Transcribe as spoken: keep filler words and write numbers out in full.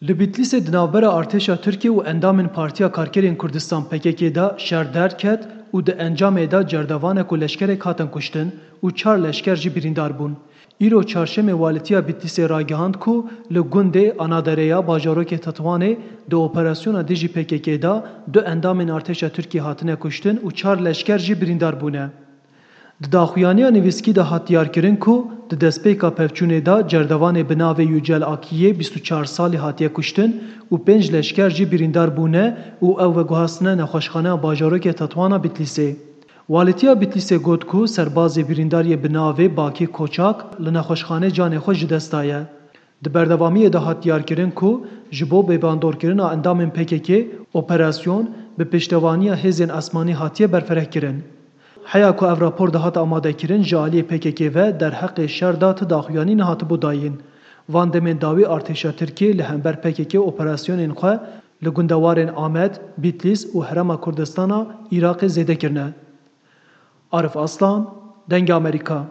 Li Bîtlîsê di navbera artêşa Tirkiyê û endamên Partiya Karkerên Kurdistan P K K de şer derket û di encamê de cerdevanek û leşkerek hatin kuştin û çar leşker jî birîndar bûn. Îro çarşemê Walîtiya Bîtlîsê ragihand ku li gundê Anadereya bajarokê Tetwanê di operasyona dijî P K K de du endamên artêşa Tirkiyê hatine kuştin û çar leşker jî birîndar bûne. Di daxuyaniya nivîskî de hat diyarkirin ku di destpêka pevçûnê de cerdevanê bi navê Yücel Akiyê bîst û çar salî hatiye kuştin û pênc leşker jî birîndar bûne û ew veguhastine nexweşxaneya bajarokê Tetwana Bîtlîsê. Walîtiya Bîtlîsê got ku serbazê birîndar yê bi navê Bakî Koçak li nexweşxanê canê xwe ji dest daye. Di berdewamiyê de hat diyarkirin ku ji bo bêbandorkirina endamên P K K operasyon bi piştevaniya hêzên esmanî hatiye berfirehkirin. Heya ku ev rapor dihate amadekirin, ji aliyê P K K ve derheqê şer de ti daxuyanî nehatibû dayîn. Van demên dawî artêşa Tirkiyê li hember P K K operasyonên xwe li gundewarên Amed, Bîtlîs û Herêma Kurdistana Iraqê zêde kirine. Arif Aslan, Dengê Amerîka.